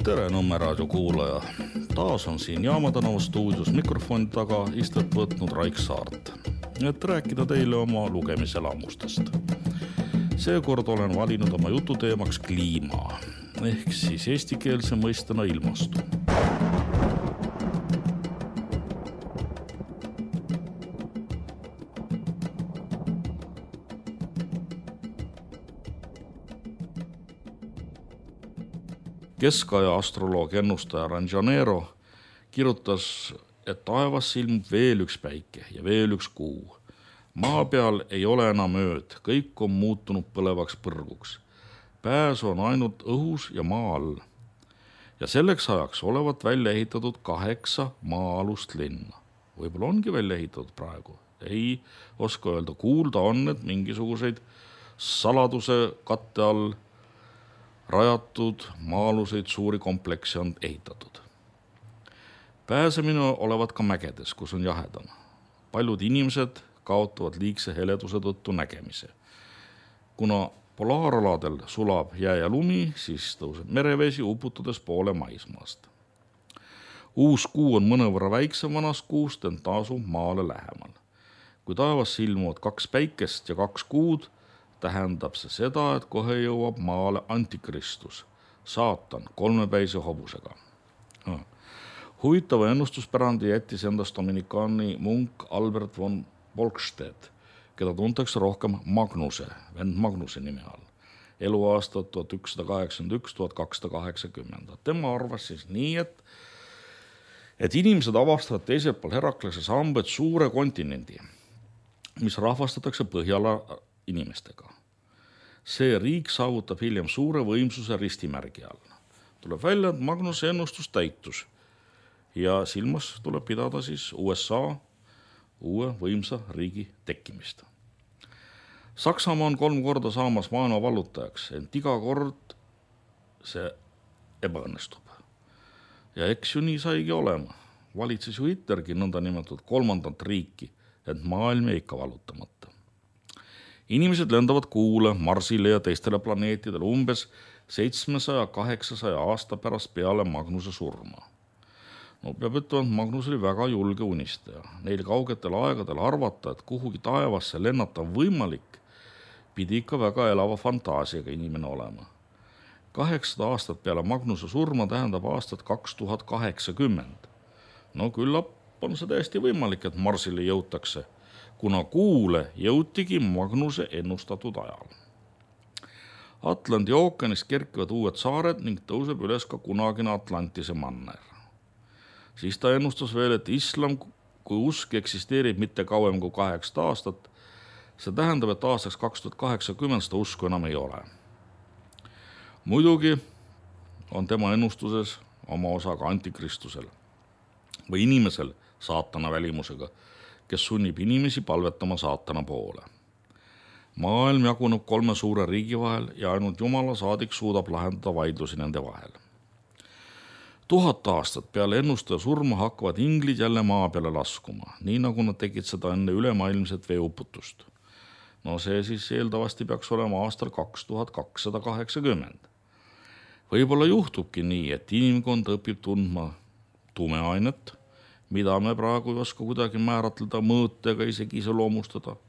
Tere Nõmme raadio kuulaja. Taas on siin Jaama tänava stuudios mikrofoni taga istet võtnud Raik Saart, et rääkida teile oma lugemiselamustest. Seekord olen valinud oma jututeemaks kliima, ehk siis eestikeelse mõistena ilmastu. Keskaja astroloog ennustaja Ranjanero kirjutas, et taevas ilmub veel üks päike ja veel üks kuu. Maa peal ei ole enam ööd, kõik on muutunud põlevaks põrguks. Pääs on ainult õhus ja maa all. Ja selleks ajaks olevat välja ehitatud 8 maa-alust linna. Võib-olla ongi välja ehitatud praegu. Ei oska öelda, kuulda on, et mingisuguseid saladuse katte all rajatud maa-aluseid suuri komplekse on ehitatud. Pääsemine olevat ka mägedes, kus on jahedam. Paljud inimesed kaotavad liigse heleduse tõttu nägemise. Kuna polaaraladel sulab jää ja lumi, siis tõuseb merevesi uputades poole maismaast. Uus kuu on mõnevõrra väiksem vanast kuust, ent tasub maale lähemal. Kui taevas ilmuvad 2 päikest ja 2 kuud, tähendab see seda, et kohe jõuab maale antikristus, saatan 3-päise hobusega. Huvitava ennustuspärandi jättis endast dominikaani munk Albert von Bolkstedt, keda tuntakse rohkem Magnuse, vend Magnuse nime all. Eluaastat 1181-1280. Tema arvas siis nii, et inimesed avastavad teisel pool Heraklase sambed suure kontinendi, mis rahvastatakse Põhjala inimestega. See riik saavutab hiljem suure võimsuse ristimärgi all. Tuleb välja, et Magnuse ennustus täitus ja silmas tuleb pidada siis USA uue võimsa riigi tekkimist. Saksamaa on 3 korda saamas maailma vallutajaks, ent iga kord see ebaõnnestub. Ja eks ju nii saigi olema. Valitses ju Hitlergi nõnda nimetatud 3. riiki, ent maailm jäi ikka vallutamata. Inimesed lendavad Kuule, Marsile ja teistele planeetidele umbes 700-800 aasta pärast peale Magnuse surma. No peab ütlema, et Magnus oli väga julge unistaja. Neil kaugetel aegadel arvata, et kuhugi taevasse lennata võimalik, pidi ikka väga elava fantaasiaga inimene olema. 800 aastat peale Magnuse surma tähendab aastat 2080. No küllap on see täiesti võimalik, et Marsile jõutakse, kuna Kuule jõutigi Magnuse ennustatud ajal. Atlandi ookeanist kerkivad uued saared ning tõuseb üles ka kunagine Atlantise manner. Siis ta ennustas veel, et islam kui usk eksisteerib mitte kauem kui 8 aastat. See tähendab, et aastaks 2080 seda usku enam ei ole. Muidugi on tema ennustuses oma osa ka antikristusel või inimesel saatana välimusega, kes sunnib inimesi palvetama saatana poole. Maailm jaguneb 3 suure riigi vahel ja ainult Jumala saadik suudab lahendada vaidlusi nende vahel. 1000 aastat peale ennustaja surma hakkavad inglid jälle maa peale laskuma, nii nagu nad tegid seda enne ülemaailmset veeuputust. No see siis eeldavasti peaks olema aastal 2280. Võib-olla juhtubki nii, et inimkond õpib tundma tumeainet, mida me praegu ei oska kuidagi määratleda, mõõta ega isegi iseloomustada.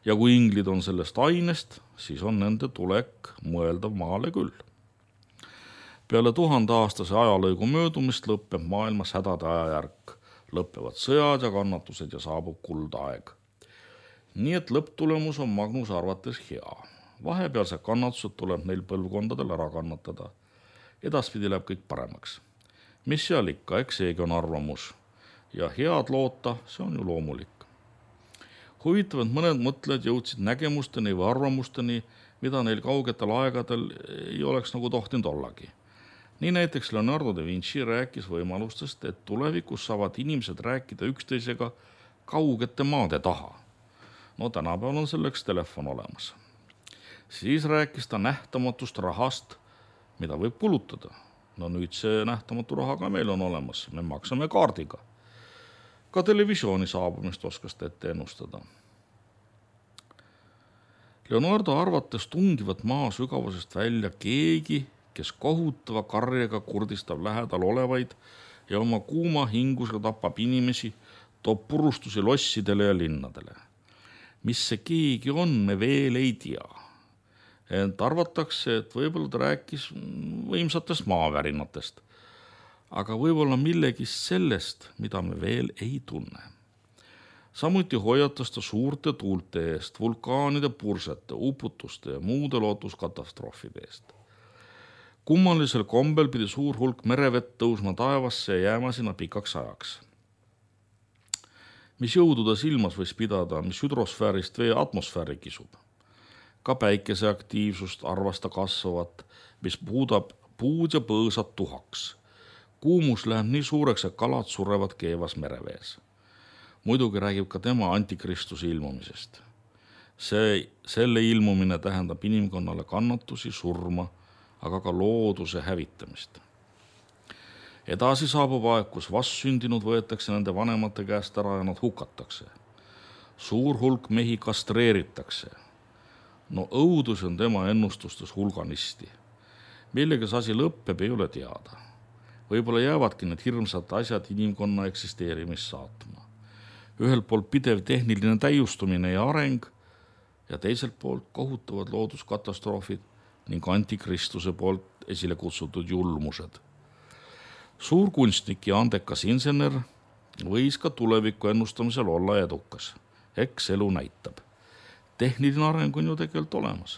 Ja kui inglid on sellest ainest, siis on nende tulek mõeldav maale küll. Peale 1000-aastase ajalõigu möödumist lõppeb maailmas hädade ajajärk, lõppevad sõjad ja kannatused ja saabub kuldaeg. Nii et lõpptulemus on Magnuse arvates hea. Vahepealsed kannatused tuleb neil põlvkondadel ära kannatada. Edaspidi läheb kõik paremaks. Mis seal ikka, eks seegi on arvamus. Ja head loota, see on ju loomulik. Huvitav, et mõned mõtlejad jõudsid nägemusteni või arvamusteni, mida neil kaugetel aegadel ei oleks nagu tohtinud ollagi. Nii näiteks Leonardo da Vinci rääkis võimalustest, et tulevikus saavad inimesed rääkida üksteisega kaugete maade taha. No tänapäeval on selleks telefon olemas. Siis rääkis ta nähtamatust rahast, mida võib kulutada. No nüüd see nähtamatu raha ka meil on olemas, me maksame kaardiga. Ka televisiooni saabumist oskas ta ette ennustada. Leonardo arvates tungivat maa sügavusest välja keegi, kes kohutava karjega kurdistab lähedal olevaid ja oma kuuma hingusega tapab inimesi, toob purustusi lossidele ja linnadele. Mis see keegi on, me veel ei tea. Ent arvatakse, et võib-olla ta rääkis võimsatest maavärinatest, aga võib-olla millegist sellest, mida me veel ei tunne. Samuti hoiatas ta suurte tuulte eest, vulkaanide pursete, uputuste ja muude looduskatastroofide eest. Kummalisel kombel pidi suur hulk merevett tõusma taevasse ja jääma sinna pikaks ajaks. Mis jõudu ta silmas võis pidada, mis hüdrosfäärist vee atmosfääri kisub. Ka päikese aktiivsust arvasta kasvavat, mis puudab puud ja põõsad tuhaks. Kuumus läheb nii suureks, et kalad surevad keevas merevees. Muidugi räägib ka tema antikristuse ilmumisest. Selle ilmumine tähendab inimkonnale kannatusi, surma, aga ka looduse hävitamist. Edasi saabub aeg, kus vastsündinud võetakse nende vanemate käest ära ja nad hukatakse. Suur hulk mehi kastreeritakse. No õudus on tema ennustustes hulganisti. Millega see asi lõppeb, ei ole teada. Võib-olla jäävadki need hirmsad asjad inimkonna eksisteerimist saatma. Ühelt poolt pidev tehniline täiustumine ja areng ja teiselt poolt kohutavad looduskatastroofid ning antikristuse poolt esile kutsutud julmused. Suur kunstnik ja andekas insener võis ka tuleviku ennustamisel olla edukas. Eks elu näitab. Tehniline areng on ju tegelikult olemas.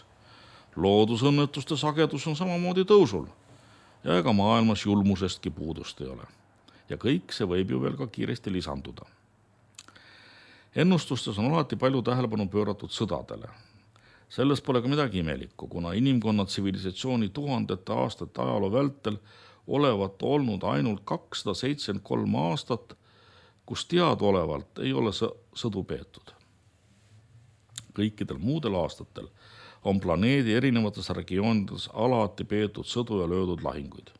Loodusõnnetuste sagedus on samamoodi tõusul ja ega maailmas julmusestki puudust ei ole. Ja kõik see võib ju veel ka kiiresti lisanduda. Ennustustes on alati palju tähelepanu pööratud sõdadele. Selles pole ka midagi imelikku, kuna inimkonna tsivilisatsiooni tuhandete aastate ajaloo vältel olevat olnud ainult 273 aastat, kus teadaolevalt ei ole sõdu peetud. Kõikidel muudel aastatel on planeedi erinevates regioonides alati peetud sõdu ja löödud lahinguid.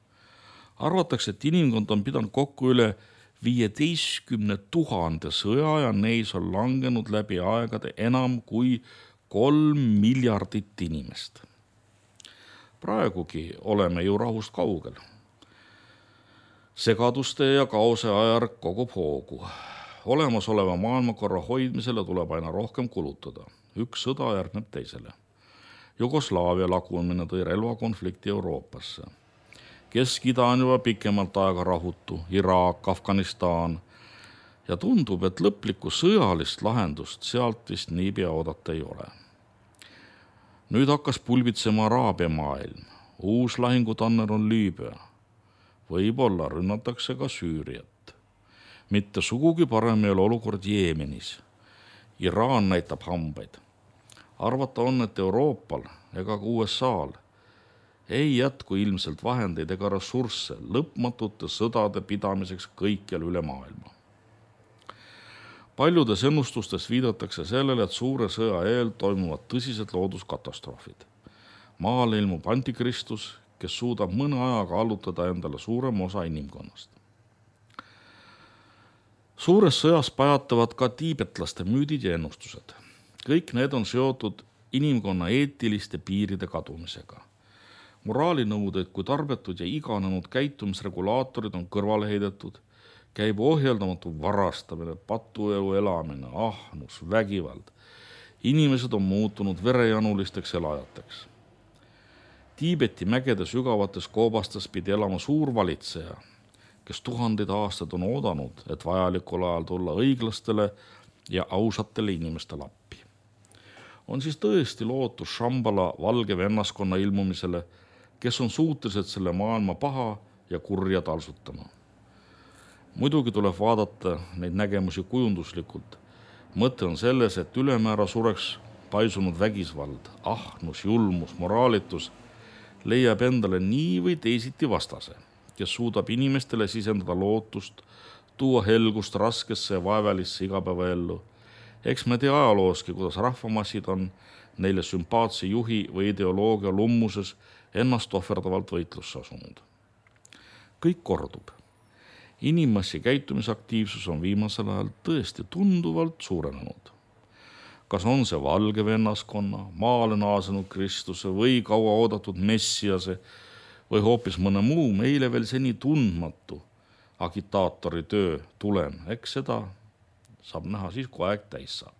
Arvatakse, et inimkond on pidanud kokku üle 15 000 sõja ja neis on langenud läbi aegade enam kui 3 miljardit inimest. Praegugi oleme ju rahust kaugel. Segaduste ja kaose ajärg kogub hoogu. Olemasoleva maailmakorra hoidmisele tuleb aina rohkem kulutada. Üks sõda järgneb teisele. Jugoslaavia lagunemine tõi relvakonflikti Euroopasse. Kesk-Ida on juba pikemalt aega rahutu, Iraak, Afganistan ja tundub, et lõplikku sõjalist lahendust sealt vist niipea oodata ei ole. Nüüd hakkas pulbitsema Araabia maailm, uus lahingutanner on Liibüa. Võib-olla rünnatakse ka Süüriat. Mitte sugugi parem ei ole olukord Jeemenis. Iraan näitab hambaid. Arvata on, et Euroopal ega ka USA'l ei jätku ilmselt vahendeid ega ressursse lõpmatute sõdade pidamiseks kõikjal üle maailma. Paljudes ennustustes viidatakse sellele, et suure sõja eel toimuvad tõsised looduskatastroofid. Maale ilmub antikristus, kes suudab mõne ajaga allutada endale suurem osa inimkonnast. Suures sõjas pajatavad ka tiibetlaste müüdid ja ennustused. Kõik need on seotud inimkonna eetiliste piiride kadumisega. Moraalinõudeid kui tarbetud ja iganenud käitumisregulaatorid on kõrvale heidetud, käib ohjeldamatu varastamine, patuelu elamine, ahnus, vägivald. Inimesed on muutunud verejanulisteks elajateks. Tiibeti mägede sügavates koobastes pidi elama suur valitseja, kes tuhandeid aastaid on oodanud, et vajalikul ajal tulla õiglastele ja ausatele inimestele appi. On siis tõesti lootus Shambhala valge vennaskonna ilmumisele, kes on suutelised selle maailma paha ja kurja talsutama. Muidugi tuleb vaadata neid nägemusi kujunduslikult. Mõte on selles, et ülemäära sureks paisunud vägisvald, ahnus, julmus, moraalitus leiab endale nii või teisiti vastase, kes suudab inimestele sisendada lootust, tuua helgust raskesse ja vaevalisse igapäevaellu. Eks me tea ajalooski, kuidas rahvamassid on neile sümpaatse juhi või ideoloogia lummuses ennast ohverdavalt võitlusse asunud. Kõik kordub. Inimmassi käitumisaktiivsus on viimasel ajal tõesti tunduvalt suurenenud. Kas on see valge vennaskonna, maale naasenud Kristuse või kaua oodatud messiase või hoopis mõne muu meile veel seni tundmatu agitaatori töö tulem. Eks seda saab näha siis, kui aeg täis saab.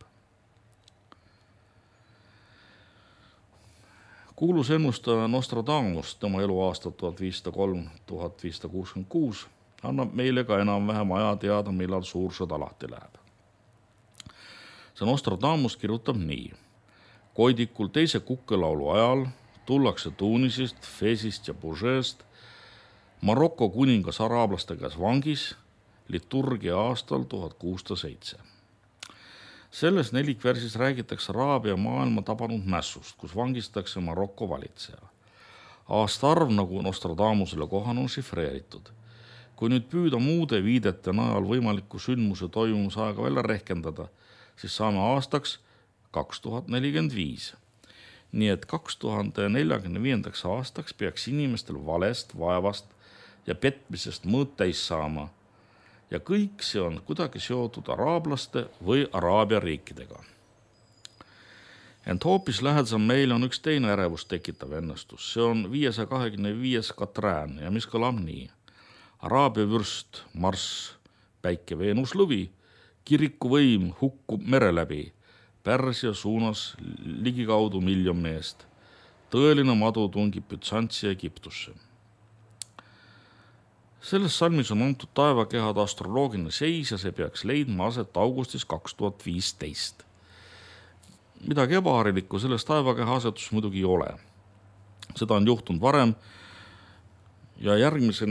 Kuulus ennustaja Nostradamus, tema eluaastad 1503–1566, annab meile ka enam-vähem aja teada, millal suur sõda lahti läheb. See Nostradamus kirjutab nii. Koidikul teise kukkelaulu ajal tullakse Tunisist, Fesist ja Bourgeest Maroko kuningas araablaste käes vangis liturgia aastal 1607. Selles nelikversis räägitakse Araabia maailma tabanud mässust, kus vangistatakse Maroko valitseja. Aastaarv, nagu Nostradamusele kohane, on šifreeritud. Kui nüüd püüda muude viidete najal võimaliku sündmuse toimumise aega välja rehkendada, siis saame aastaks 2045. Nii et 2045. aastaks peaks inimestel valest, vaevast ja petmisest mõõt täis saama. Ja kõik see on kuidagi seotud araablaste või Araabia riikidega. Ent hoopis lähedasem meile on üks teine ärevust tekitav ennustus. See on 525. Katrään ja mis kõlab nii. Araabia vürst, Marss, päike, Veenus, lõvi, kirikuvõim hukkub mere läbi, Pärsia suunas ligikaudu 1 000 000 meest. Tõeline madu tungib Bütsantsi Egiptusse. Selles salmis on antud taevakehade astroloogiline seis ja see peaks leidma aset augustis 2015. Midagi ebaharilikku selles taevakeha asetus muidugi ei ole. Seda on juhtunud varem ja järgmise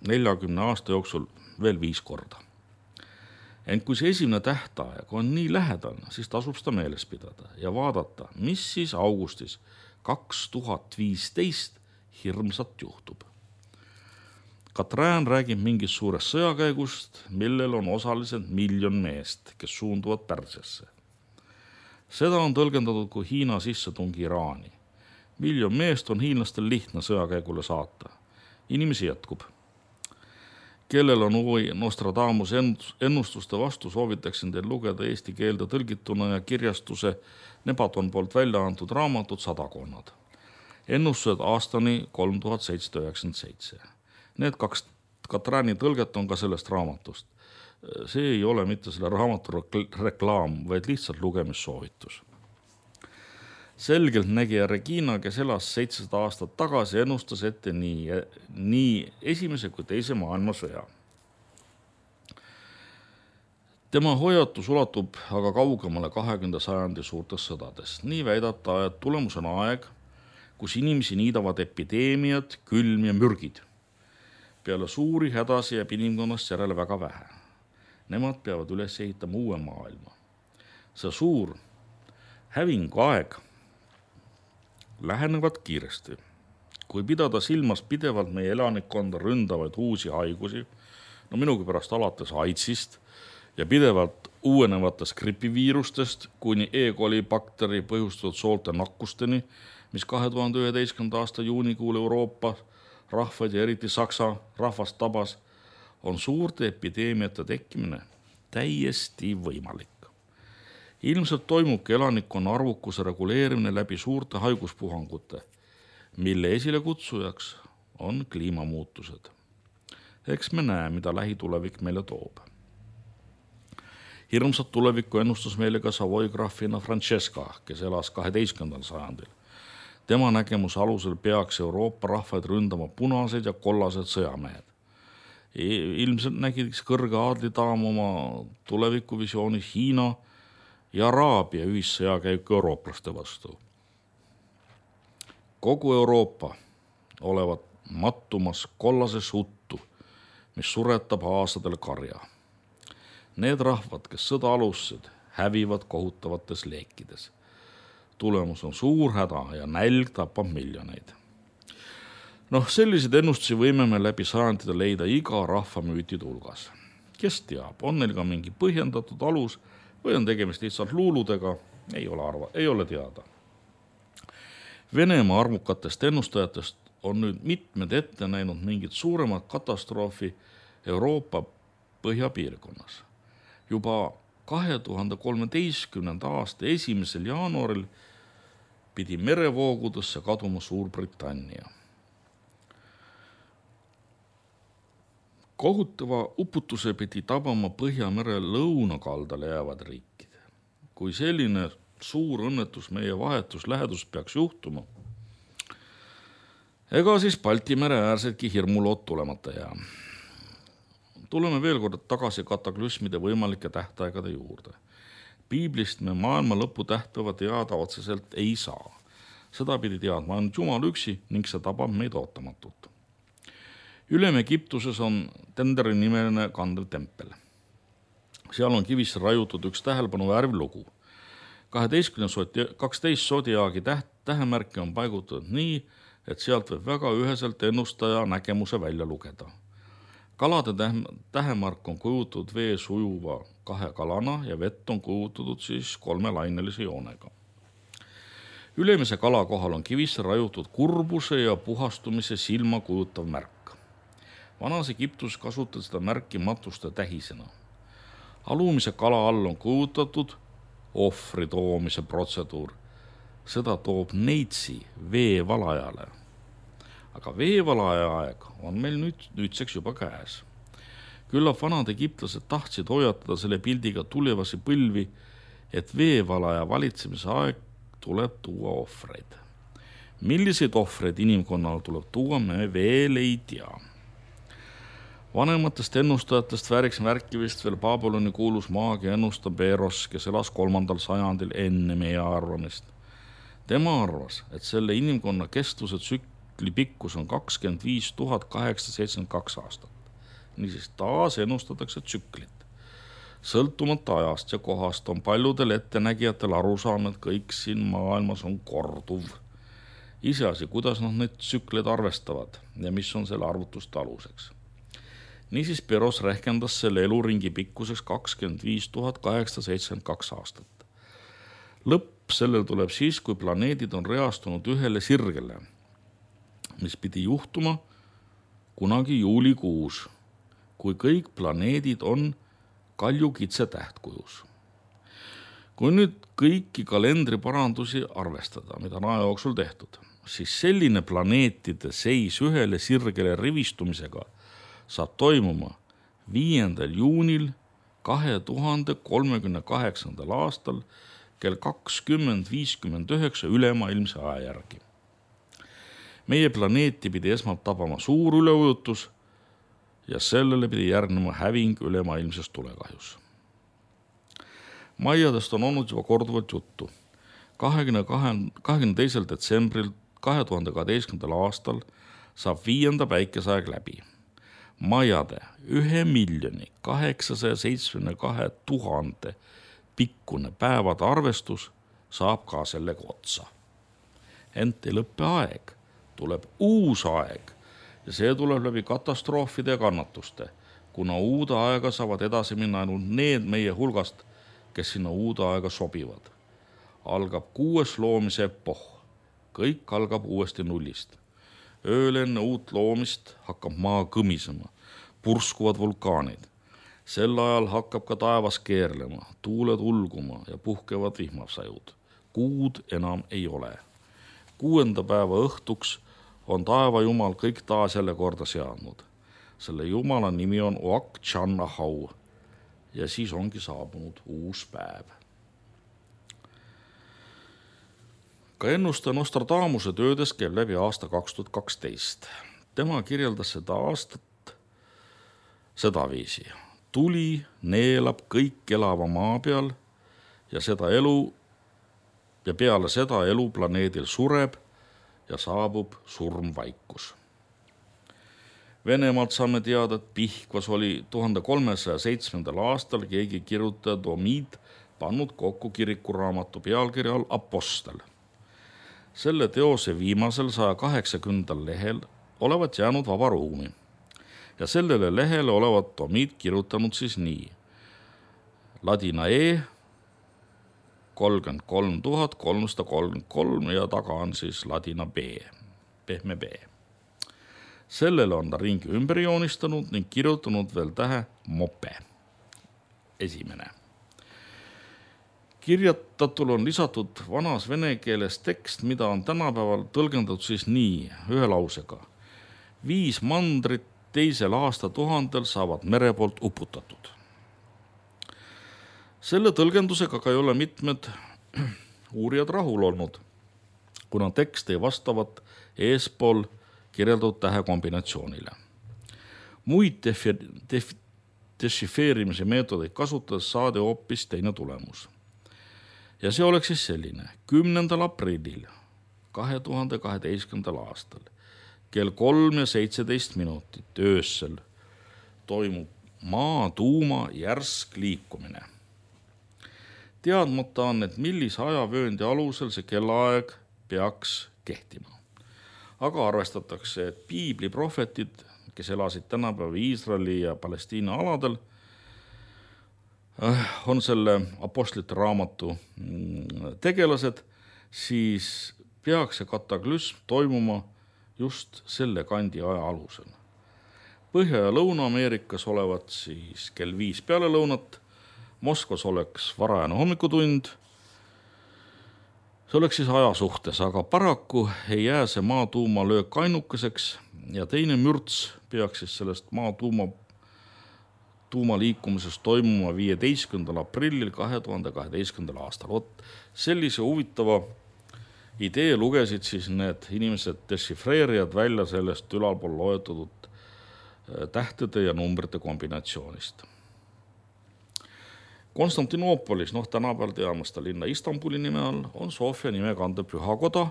40 aasta jooksul veel 5 korda. Ent kui see esimene tähtaeg on nii lähedal, siis tasub seda meeles pidada ja vaadata, mis siis augustis 2015 hirmsat juhtub. Katrään räägib mingist suurest sõjakäigust, millel on osaliselt 1 000 000 meest, kes suunduvad Pärsiasse. Seda on tõlgendatud kui Hiina sissetungi Iraani. 1 000 000 meest on hiinlastel lihtne sõjakäigule saata. Inimesi jätkub. Kellel on huvi Nostradamus ennustuste vastu, soovitaksin teil lugeda eesti keelde tõlgituna ja kirjastuse Nebaton poolt välja antud raamatud Sadakonnad. Ennustused aastani 3797. Need 2 Katrääni tõlget on ka sellest raamatust. See ei ole mitte selle raamatu reklaam, vaid lihtsalt lugemissoovitus. Selgelt nägija Regina, kes elas 700 aastat tagasi, ennustas ette nii esimese kui teise maailmasõja. Tema hoiatus ulatub aga kaugemale 20. sajandi suurtest sõdadest. Nii väidab ta, et tulemus on aeg, kus inimesi niidavad epideemiad, külm ja mürgid. Peale suuri hädasi jääb inimkonnast järele väga vähe. Nemad peavad üles ehitama uue maailma. See suur hävingu aeg lähenevad kiiresti. Kui pidada silmas pidevalt meie elanikkonda ründavaid uusi haigusi, no minugi pärast alates AIDSist ja pidevalt uuenevatest gripiviirustest kuni E-coli bakteri põhjustatud soolte nakkusteni, mis 2011. aasta juunikuul Euroopa rahvaid ja eriti Saksa rahvast tabas, on suurte epideemiate tekkimine täiesti võimalik. Ilmselt toimubki elanikkonna arvukuse reguleerimine läbi suurte haiguspuhangute, mille esilekutsujaks on kliimamuutused. Eks me näe, mida lähitulevik meile toob. Hirmsat tulevikku ennustas meile ka Savoy graafina Francesca, kes elas 12. sajandil. Tema nägemuse alusel peaks Euroopa rahvaid ründama punased ja kollased sõjamehed. Ilmselt nägiks kõrge aadlidaam oma tulevikuvisioonis Hiina ja Araabia ühissõjakäiku eurooplaste vastu. Kogu Euroopa olevat mattumas kollasesse uttu, mis suretab aastadel karja. Need rahvad, kes sõda alustasid, hävivad kohutavates leekides. Tulemus on suur häda ja nälg tapab miljoneid. Selliseid ennustusi võime me läbi sajandite leida iga rahvamüütide hulgas. Kes teab, on neil ka mingi põhjendatud alus või on tegemist lihtsalt luuludega, ei ole teada. Venemaa arvukatest ennustajatest on nüüd mitmed ette näinud mingit suuremat katastroofi Euroopa põhjapiirkonnas. Juba 2013. aasta 1. jaanuaril pidi merevoogudesse kaduma Suurbritannia. Kohutava uputuse pidi tabama Põhjamere lõunakaldale jäävad riikid. Kui selline suur õnnetus meie vahetus lähedus peaks juhtuma, ega siis Balti mere äärsedki hirmulood tulemata jää. Tuleme veel kord tagasi kataklüsmide võimalike tähtaegade juurde. Piiblist me maailma lõpu tähtpäeva teada otseselt ei saa. Seda pidi teadma ainult Jumal üksi ning see tabab meid ootamatult. Ülem Egiptuses on Tenderi nimeline kandev tempel. Seal on kivisse rajutud üks tähelepanu vääriv lugu. 12 sodiaagi tähemärke on paigutatud nii, et sealt võib väga üheselt ennustaja nägemuse välja lugeda. Kalade tähemark on kujutatud vees ujuva 2 kalana ja vett on kujutatud siis 3 lainelise joonega. Ülemise kala kohal on kivisse rajutud kurbuse ja puhastumise silma kujutav märk. Vanas Egiptus kasutati seda märki matuste tähisena. Alumise kala all on kujutatud ohvri toomise protseduur. Seda toob neitsi veevalajale. Aga veevalaja aeg on meil nüüdseks juba käes. Küllap vanad egiptlased tahtsid hoiatada selle pildiga tulevasi põlvi, et veevalaja valitsemise aeg tuleb tuua ohvreid. Milliseid ohvreid inimkonnal tuleb tuua, me veel ei tea. Vanematest ennustajatest vääriks märkivist veel Babyloni kuulus maagia ennustaja Beros, kes elas 3. sajandil enne meie arvamist. Tema arvas, et selle inimkonna kestvuse tsükli pikkus on 25 872 aastat. Niisiis taas ennustatakse tsüklit. Sõltumata ajast ja kohast on paljudel ettenägijatel arusaam, et kõik siin maailmas on korduv. Iseasi, kuidas nad neid tsükleid arvestavad ja mis on selle arvutuste aluseks. Niisiis Beros rehkendas selle eluringi pikkuseks 25 872 aastat. Lõpp sellel tuleb siis, kui planeedid on reastunud ühele sirgele, mis pidi juhtuma kunagi juulikuus, kui kõik planeedid on kaljukitse tähtkujus. Kui nüüd kõiki kalendriparandusi arvestada, mida on aja jooksul tehtud, siis selline planeetide seis ühele sirgele rivistumisega saab toimuma 5. juunil 2038. aastal kell 20:59 ülemaailmse aja järgi. Meie planeeti pidi esmalt tabama suur üleujutus ja sellele pidi järgnema häving ülemaailmses tulekahjus. Maiadest on olnud juba korduvalt juttu. 22. detsembril 2012. aastal saab 5. päikeseaeg läbi. Maiade 1 872 000 pikkune päevade arvestus saab ka sellega otsa. Ent ei lõppe aeg, tuleb uus aeg ja see tuleb läbi katastroofide ja kannatuste, kuna uude aega saavad edasi minna ainult need meie hulgast, kes sinna uude aega sobivad. Algab 6. loomise epoh, kõik algab uuesti nullist. Ööl enne uut loomist hakkab maa kõmisema, purskuvad vulkaanid. Sel ajal hakkab ka taevas keerlema, tuuled ulguma ja puhkevad vihmasajud. Kuud enam ei ole. 6. päeva õhtuks on taevajumal kõik taas jälle korda seadnud. Selle jumala nimi on Oak Channahau ja siis ongi saabunud uus päev. Ka ennustaja Nostradamuse töödes käib läbi aasta 2012. Tema kirjeldas seda aastat sedaviisi. Tuli neelab kõik elava maa peal ja peale seda elu planeedil sureb ja saabub surmvaikus. Venemaalt saame teada, et Pihkvas oli 1307. aastal keegi kirjutaja Domid pannud kokku kirikuraamatu pealkirja all Apostel. Selle teose viimasel 180. lehel olevat jäänud vaba ruumi ja sellele lehele olevat Domid kirjutanud siis nii. Ladina E 33 333 ja taga on siis ladina B, pehme B. Sellele on ta ringi ümber joonistanud ning kirjutanud veel tähe mope, esimene. Kirjatatul on lisatud vanas vene keeles tekst, mida on tänapäeval tõlgendatud siis nii, ühe lausega. 5 mandrit teisel aastatuhandel saavad mere poolt uputatud. Selle tõlgendusega ka ei ole mitmed uurijad rahul olnud, kuna tekst ei vastavat eespool kirjeldatud tähekombinatsioonile. Muid dešifreerimise meetodeid kasutades saadi hoopis teine tulemus. Ja see oleks siis selline: 10. aprillil 2012. aastal kell 3:17 öösel toimub maa tuuma järsk liikumine. Teadmata on, et millise ajavööndi alusel see kellaaeg peaks kehtima. Aga arvestatakse, et piibli prohvetid, kes elasid tänapäeva Iisraeli ja Palestiina aladel, on selle apostlite raamatu tegelased, siis peaks see kataklüsm toimuma just selle kandi aja alusel. Põhja- ja Lõuna-Ameerikas olevat siis kell 5 peale lõunat, Moskvas oleks varajane hommikutund. See oleks siis aja suhtes, aga paraku ei jää see maatuuma löök ainukeseks ja teine mürts peaks siis sellest tuuma liikumisest toimuma 15. aprillil 2012. aastal. Sellise huvitava idee lugesid siis need inimesed, dešifreerijad välja sellest ülalpool loetletud tähtede ja numbrite kombinatsioonist. Konstantinoopolis, tänapäeval teame seda linna Istanbuli nime all, on Sofia nime kandev pühakoda,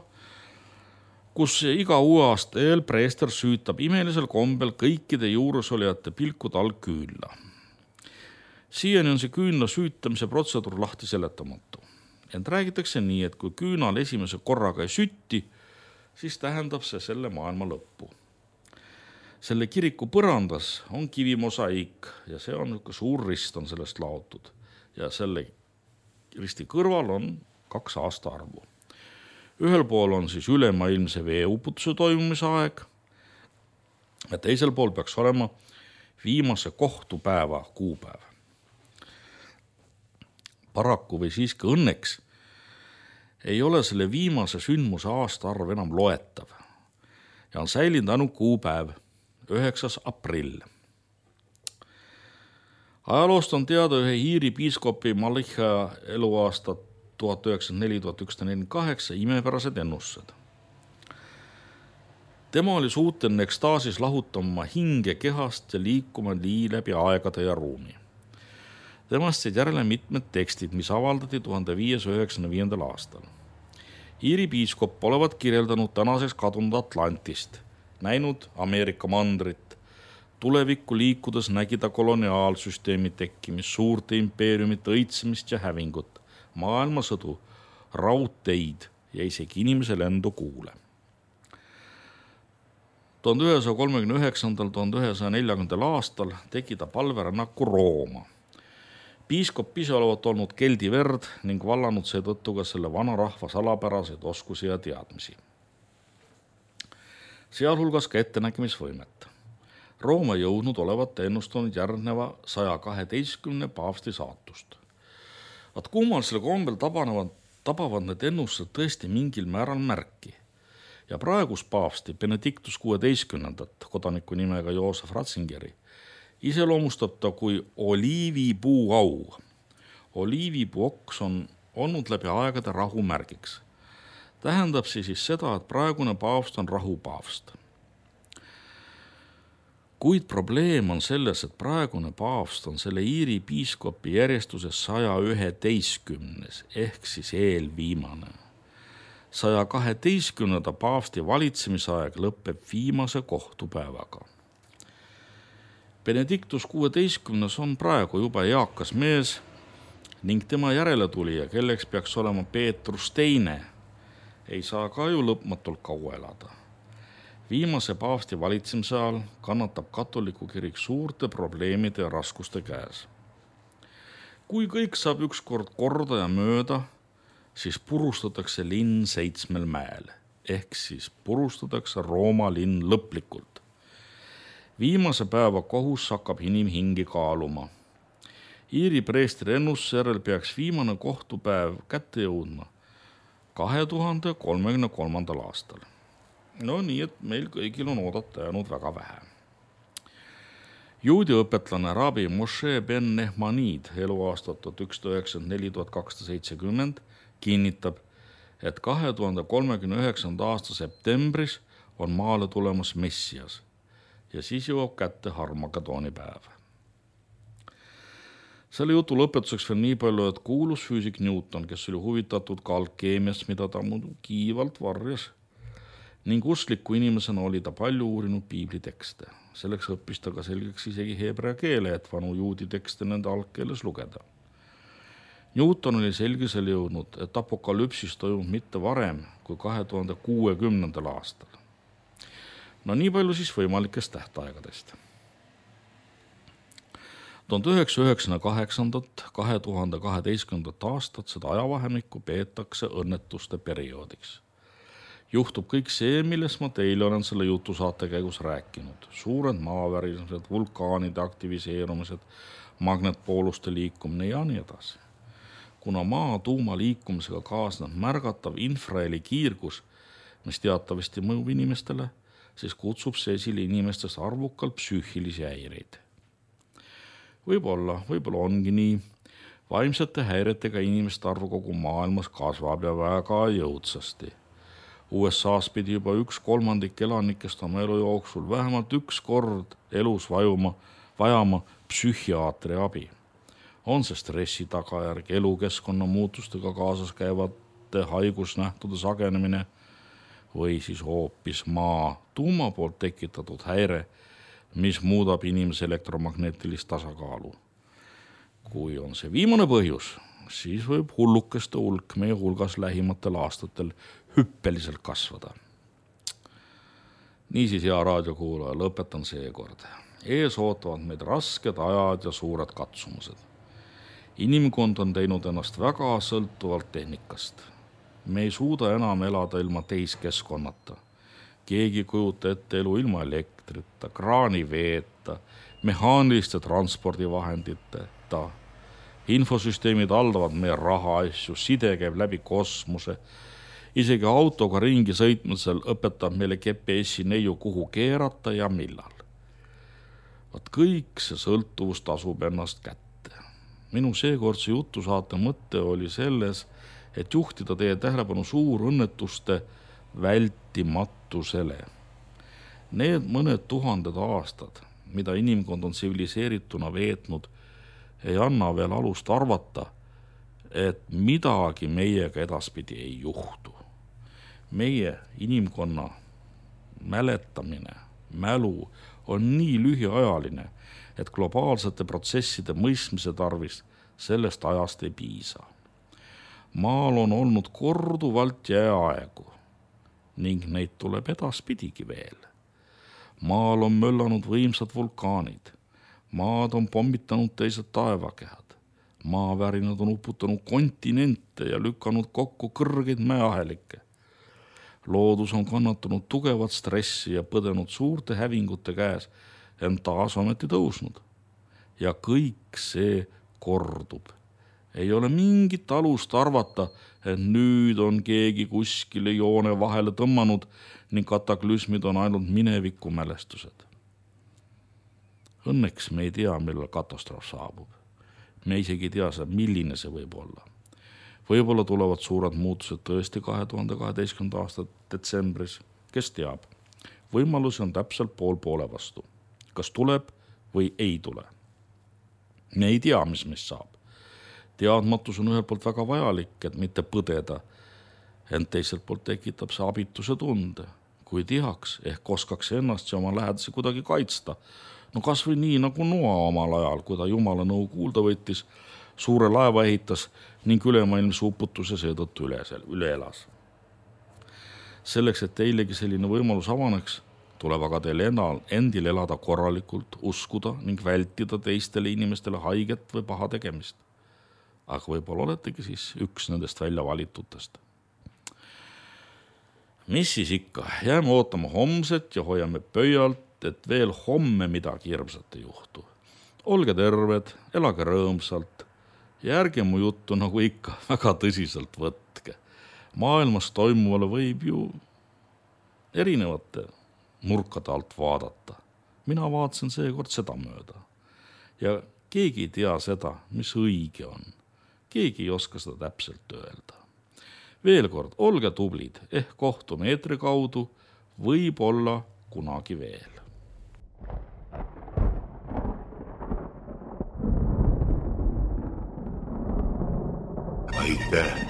kus iga uue aasta eel preester süütab imelisel kombel kõikide juuresolijate pilkude all küünla. Siiani on see küünla süütamise protseduur lahti seletamatu. Ent räägitakse nii, et kui küünal esimese korraga ei sütti, siis tähendab see selle maailma lõppu. Selle kiriku põrandas on kivimosaiik ja see on suur rist on sellest laotud. Ja selle risti kõrval on 2 aastaarvu. Ühel pool on siis ülemaailmse veeuputuse toimumise aeg ja teisel pool peaks olema viimase kohtupäeva kuupäev. Paraku või siiski õnneks ei ole selle viimase sündmuse aastaarv enam loetav ja on säilinud ainult kuupäev 9. aprill. Ajaloost on teada ühe Iiri piiskopi Malika eluaasta 1904-1948 imepärased ennustused. Tema oli suuteline ekstaasis lahutama hinge kehast ja liikuma nii läbi aegade ja ruumi. Temast said järele mitmed tekstid, mis avaldati 1595. aastal. Iiri piiskop olevat kirjeldanud tänaseks kadunud Atlantist, näinud Ameerika mandrit. Tulevikku liikudes nägi ta koloniaalsüsteemi tekkimist, suurte impeeriumite õitsemist ja hävingut, maailmasõdu, raudteid ja isegi inimese lendu kuule. 1139-1140 aastal tegi ta palverännaku Rooma. Piiskop ise olevat olnud keldi verd ning vallanud seetõttu ka selle vana rahva salapäraseid oskusi ja teadmisi. Sealhulgas ka ettenägemisvõimet. Rooma jõudnud olevat ennustanud järgneva 112 paavsti saatust. Kummalisel kombel tabavad need ennustused tõesti mingil määral märki. Ja praegus paavsti Benedictus 16. kodaniku nimega Joosef Ratzingeri iseloomustab ta kui oliivipuu au. Oliivipuu oks on olnud läbi aegade rahu märgiks. Tähendab siis seda, et praegune paavst on rahupaavst. Kuid probleem on selles, et praegune paavst on selle Iiri piiskopi järjestuses 111. ehk siis eelviimane. 112. paavsti valitsemisaeg lõpeb viimase kohtupäevaga. Benedictus 16. on praegu juba eakas mees ning tema järeletulija, kelleks peaks olema Peetrus II, ei saa ka ju lõpmatult kaua elada. Viimase paavsti valitsemise ajal kannatab katoliku kirik suurte probleemide ja raskuste käes. Kui kõik saab ükskord korda ja mööda, siis purustatakse linn 7 mäel, ehk siis purustatakse Rooma linn lõplikult. Viimase päeva kohus hakkab inimhingi kaaluma. Iiri preestri ennustuse järel peaks viimane kohtupäev kätte jõudma 2033. aastal. No nii, et meil kõigil on oodata jäänud väga vähe. Juudi õpetlane rabi Moshe ben Nehmanid eluaastat 1194–1270 kinnitab, et 2039. aasta septembris on maale tulemas Messias ja siis jõuab kätte Harmageddoni päev. Selle jutu lõpetuseks veel nii palju, et kuulus füüsik Newton, kes oli huvitatud ka alkeemiast, mida ta muidu kiivalt varjas, ning uskliku inimesena oli ta palju uurinud piiblitekste. Selleks õppis ta ka selgeks isegi heebrea keele, et vanu juudi tekste nende algkeeles lugeda. Newton oli selgisele jõudnud, et apokalüpsis toimub mitte varem kui 2060. aastal. No nii palju siis võimalikest tähtaegadest. 1998–2012 aastat seda ajavahemikku peetakse õnnetuste perioodiks. Juhtub kõik see, millest ma teile olen selle jutusaate käigus rääkinud. Suured maavärised, vulkaanide aktiviseerumised, magnetpooluste liikumine ja nii edasi. Kuna maa tuuma liikumisega kaasneb märgatav infraheli kiirgus, mis teatavasti mõjub inimestele, siis kutsub see esile inimestest arvukalt psüühilisi häireid. Võib-olla ongi nii. Vaimsete häiretega inimeste arv kogu maailmas kasvab ja väga jõudsasti. USAs pidi juba 1/3 elanikest oma elu jooksul vähemalt üks kord elus vajama psühhiaatri abi. On see stressi tagajärg, elukeskkonna muutustega kaasas käivate haigusnähtude sagenemine või siis hoopis maa tuuma poolt tekitatud häire, mis muudab inimese elektromagnetilist tasakaalu. Kui on see viimane põhjus, siis võib hullukeste hulk meie hulgas lähimatel aastatel hüppeliselt kasvada. Niisiis, hea raadiokuulaja, lõpetan seekord. Ees ootavad meid rasked ajad ja suured katsumused. Inimkond on teinud ennast väga sõltuvalt tehnikast. Me ei suuda enam elada ilma tehiskeskkonnata. Keegi kujuta ette elu ilma elektrita, kraaniveeta, mehaaniliste transpordivahenditeta. Infosüsteemid haldavad meie rahaasju, side käib läbi kosmose. Isegi autoga ringi sõitmisel õpetab meile GPS-i neiu, kuhu keerata ja millal. Vaat kõik see sõltuvus tasub ennast kätte. Minu seekordse jutusaate mõte oli selles, et juhtida teie tähelepanu suurõnnetuste vältimatusele. Need mõned tuhanded aastad, mida inimkond on tsiviliseerituna veetnud, ei anna veel alust arvata, et midagi meiega edaspidi ei juhtu. Meie inimkonna mäletamine, mälu on nii lühiajaline, et globaalsete protsesside mõistmise tarvis sellest ajast ei piisa. Maal on olnud korduvalt jääaegu ning neid tuleb edaspidigi veel. Maal on möllanud võimsad vulkaanid. Maad on pommitanud teised taevakehad. Maavärinad on uputanud kontinente ja lükanud kokku kõrgeid mäeahelikke. Loodus on kannatanud tugevat stressi ja põdenud suurte hävingute käes, ent taas ometi tõusnud. Ja kõik see kordub. Ei ole mingit alust arvata, et nüüd on keegi kuskile joone vahele tõmmanud ning kataklüsmid on ainult mineviku mälestused. Õnneks me ei tea, millal katastroof saabub. Me isegi ei tea, milline see võib olla. Võib-olla tulevad suured muutused tõesti 2012. aasta detsembris. Kes teab? Võimalusi on täpselt poole vastu. Kas tuleb või ei tule? Me ei tea, mis meist saab. Teadmatus on ühelt poolt väga vajalik, et mitte põdeda, ent teiselt poolt tekitab see abituse tunde. Kui teaks, ehk oskaks ennast ja oma lähedasi kuidagi kaitsta. No kas või nii nagu Noa omal ajal, kui ta Jumala nõu kuulda võttis, suure laeva ehitas ning ülemaailmse uputuse seetõttu üle elas. Selleks, et teilegi selline võimalus avaneks, tuleb aga teil endil elada korralikult, uskuda ning vältida teistele inimestele haiget või paha tegemist. Aga võib-olla oletegi siis üks nendest välja valitutest. Mis siis ikka? Jääme ootama homset ja hoiame pöialt, et veel homme midagi hirmsat ei juhtu. Olge terved, elage rõõmsalt ja ärge mu juttu nagu ikka väga tõsiselt võtke. Maailmas toimuvale võib ju erinevate nurkade alt vaadata. mina vaatasin seekord seda mööda. Ja keegi ei tea seda, mis õige on. Keegi ei oska seda täpselt öelda. Veel kord, olge tublid, ehk kohtume eetri kaudu, võib-olla kunagi veel. Aitäh.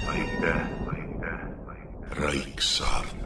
Raiksaart.